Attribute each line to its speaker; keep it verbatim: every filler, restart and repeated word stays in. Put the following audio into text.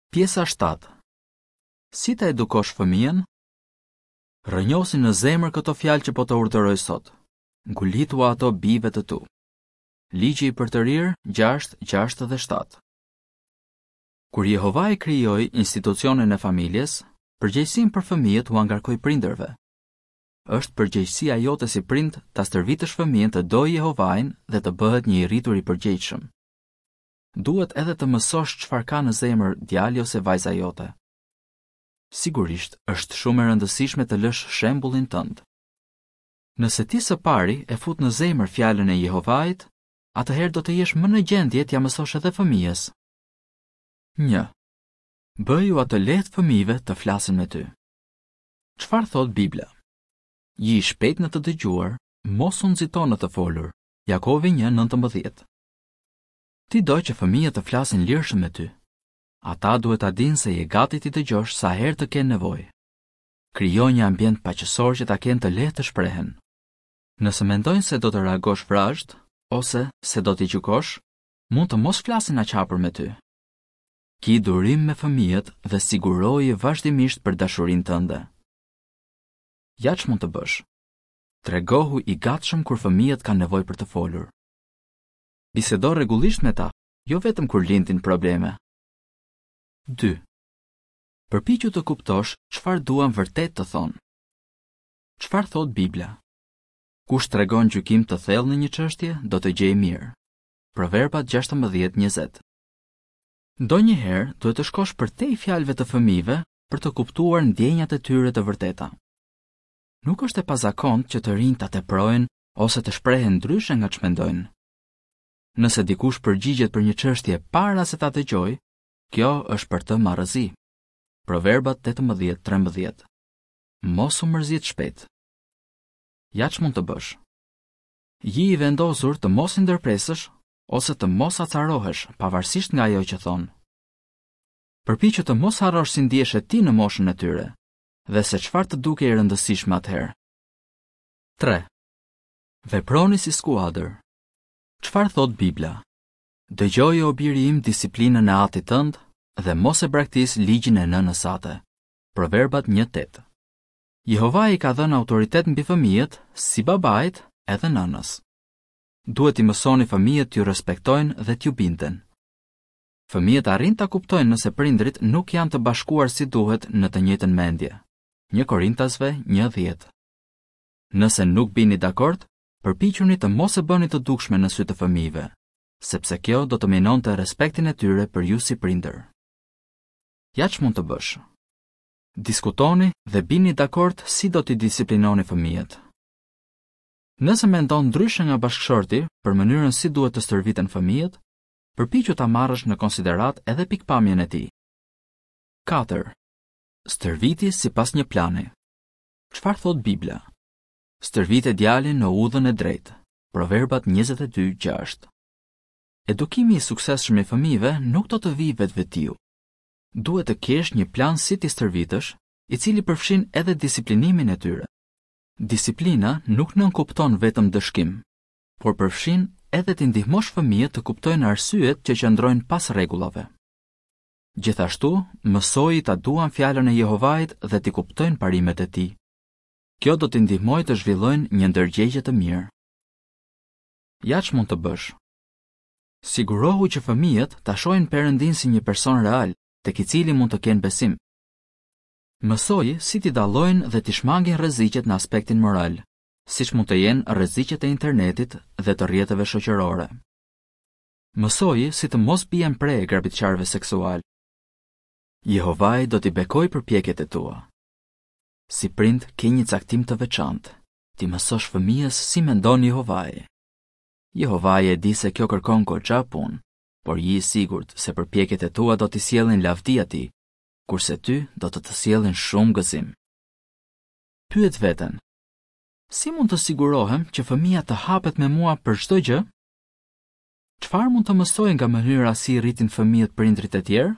Speaker 1: Pjesa shtatë. Si ta edukosh fëmijën? Rrënjosi në zemër këto fjalë që po të urdhëroj sot. Ngulitua ato bijve të tu. Ligji i përtërirë gjashtë, gjashtë dhe shtatë. Kur Jehovai krijoi institucionin e familjes, përgjegjësinë për fëmijët ua ngarkoi prindërve. Është përgjegjësia jote si prind ta stërvitësh fëmijën të dojë Jehovain dhe të bëhet një i rritur i përgjegjshëm. Duhet edhe të mësosh çfarë ka në zemër djali ose vajza jote. Sigurisht, është shumë e rëndësishme të lësh shembullin tënd. Nëse ti së pari e fut në zemër fjalën e Jehovait, atëherë do të jesh më në gjendje t'ia mësosh edhe fëmijës. Një. Bëju atë lehtë fëmijëve të flasin me ty. Çfarë thot Bibla? Ji i shpejt në të dëgjuar, mos u nxito në të folur. Jakovi një nëntëmbëdhjetë. Ti do që fëmijët të flasin lirshëm me ty. Ata duhet ta dinë se je gati t'i dëgjosh sa herë të kenë nevojë. Krijo një ambient paqësor që ta kenë të lehtë të shprehen. Nëse mendojnë se do të reagosh vrazhd ose se do t'i gjykosh, mund të mos flasin aq hapur me ty. Ki durim me fëmijët dhe siguroji vazhdimisht për dashurinë tënde. Ja ç'mund të bësh. Tregohu i gatshëm kur fëmijët kanë nevojë për të folur. Bisedo rregullisht me ta, jo vetëm kur lindin probleme. Dy. Përpiqu të kuptosh çfarë duan vërtet të thonë. Çfarë thot Bibla? Kush tregon gjykim të thellë në një çështje, do të gjejë mirë. Proverbat gjashtëmbëdhjetë njëzet. Ndonjëherë duhet të shkosh përtej fjalëve të fëmijëve për të kuptuar ndjenjat e tyre të vërteta. Nuk është e pazakontë që të rinjtë ta teprojnë ose të shprehen ndryshe nga ç'mendojnë. Nëse dikush përgjigjet për një çështje para se ta dëgjojë, kjo është për të marrëzi. Proverbat tetëmbëdhjetë trembëdhjetë. Mos u mërzit shpejt. Ja ç'mund të bësh. Ji i vendosur të mos i ndërpresësh ose të mos acarohesh, pavarësisht nga ajo që thonë. Përpiqu të mos harrosh si ndiheshe ti në moshën e tyre dhe se çfarë të dukej e rëndësishme atëherë. Tre. Veproni si skuadër. Çfarë thot Bibla? Dëgjoje o biri im disiplinën e atit tënd dhe mos e braktis ligjin e nënës sate. Proverbat një tetë. Jehovai i ka dhënë autoritet mbi fëmijët, si babait edhe nënës. Duhet t'i mësoni fëmijët t'ju respektojnë dhe t'ju binden. Fëmijët arrin ta kuptojnë nëse prindrit nuk janë të bashkuar si duhet në të njëjtën mendje. Një Korintasve një dhjetë. Nëse nuk bini dakord, përpiquni të mos e bëni të dukshme në sy të fëmijëve, sepse kjo do të minonte respektin e tyre për ju si prindër. Ja ç'mund të bësh. Diskutoni dhe bini dakord si do t'i disiplinoni fëmijët. Nëse mendon ndryshe nga bashkëshorti për mënyrën si duhet të stërviten fëmijët, përpiqu ta marrësh në konsiderat edhe pikpamjen e tij. Katër. Stërviti sipas një plani. Çfarë thot Bibla? Stërvite djalin në udhën e drejtë. Proverbat njëzet e dy gjashtë. Edukimi i suksesshëm i fëmijëve nuk do të vijë vetvetiu. Duhet të kesh një plan si t'i stërvitësh, i cili përfshin edhe disiplinimin e tyre. Disiplina nuk nënkupton vetëm dëshkim, por përfshin edhe t'i ndihmosh fëmijët të kuptojnë arsyet që qëndrojnë pas rregullave. Gjithashtu, mësoji ta duan fjalën e Jehovait dhe t'i kuptojnë parimet e tij. Kjo do t'i ndihmojë të zhvillojnë një ndërgjegje të mirë. Ja ç'mund të bësh. Sigurohu që fëmijët ta shohin Perëndin si një person real, tek i cili mund të kenë besim. Mësoji si t'i dallojnë dhe t'i shmangin rreziqet në aspektin moral, siç mund të jenë rreziqet e internetit dhe të rrjeteve shoqërore. Mësoji si të mos bien pre e grabitqarëve seksual. Jehovai do t'i bekojë përpjekjet e tua. Si prind ke një caktim të veçantë, t'i mësosh fëmijës si mendon Jehovai. Jehovai e di se kjo kërkon goxha punë, por ji i sigurt se përpjekjet e tua do t'i sjellin lavdi atij, kurse ty do të të sjellin shumë gëzim. Pyet veten: si mund të sigurohem që fëmija të hapet me mua për çdo gjë? Çfarë mund të mësoj nga mënyra si rritin fëmijët prindrit e tjerë?